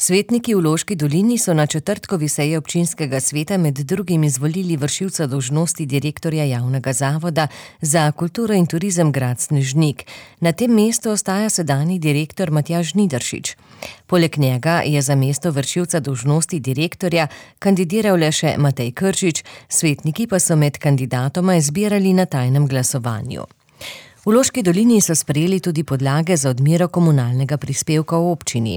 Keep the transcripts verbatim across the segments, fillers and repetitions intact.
Svetniki v Loški dolini so na četrtkovi seji občinskega sveta med drugim izvolili vršilca dolžnosti direktorja javnega zavoda za kulturo in turizem grad Snežnik. Na tem mestu ostaja sedanji direktor Matjaž Žnidaršič. Poleg njega je za mesto vršilca dolžnosti direktorja kandidiral le še Matej Kržič, svetniki pa so med kandidatoma izbirali na tajnem glasovanju. V Loški dolini so sprejeli tudi podlage za odmero komunalnega prispevka v občini.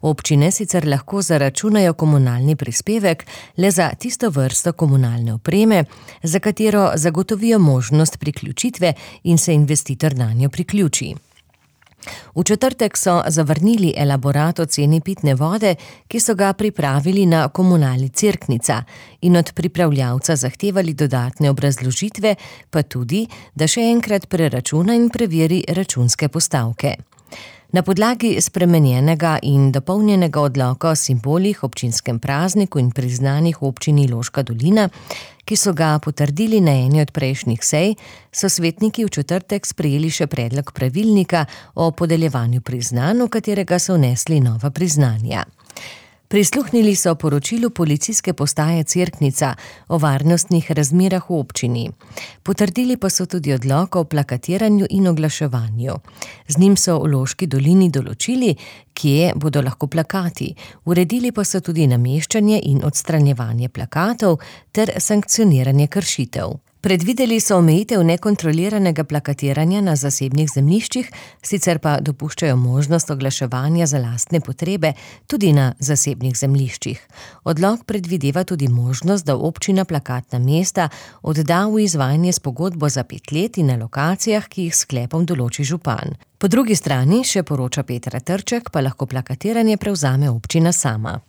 Občine sicer lahko zaračunajo komunalni prispevek le za tisto vrsto komunalne opreme, za katero zagotovijo možnost priključitve in se investitor nanjo priključi. V četrtek so zavrnili elaborat o ceni pitne vode, ki so ga pripravili na komunali Cerknica, in od pripravljavca zahtevali dodatne obrazložitve, pa tudi, da še enkrat preračuna in preveri računske postavke. Na podlagi spremenjenega in dopolnjenega odloka o simbolih, občinskem prazniku in priznanjih v občini Loška dolina, ki so ga potrdili na eni od prejšnjih sej, so svetniki v četrtek sprejeli še predlog pravilnika o podeljevanju priznanj, v katerega so vnesli nova priznanja. Prisluhnili so poročilu policijske postaje Cerknica o varnostnih razmerah v občini. Potrdili pa so tudi odlok o plakatiranju in oglaševanju. Z njim so v Loški dolini določili, kje bodo lahko plakati, uredili pa so tudi nameščanje in odstranjevanje plakatov ter sankcioniranje kršitev. Predvideli so omejitev nekontroliranega plakatiranja na zasebnih zemljiščih, sicer pa dopuščajo možnost oglaševanja za lastne potrebe tudi na zasebnih zemljiščih. Odlok predvideva tudi možnost, da občina plakatna mesta odda v izvajanje s pogodbo za pet let in na lokacijah, ki jih s sklepom določi župan. Po drugi strani, še poroča Petra Trček, pa lahko plakatiranje prevzame občina sama.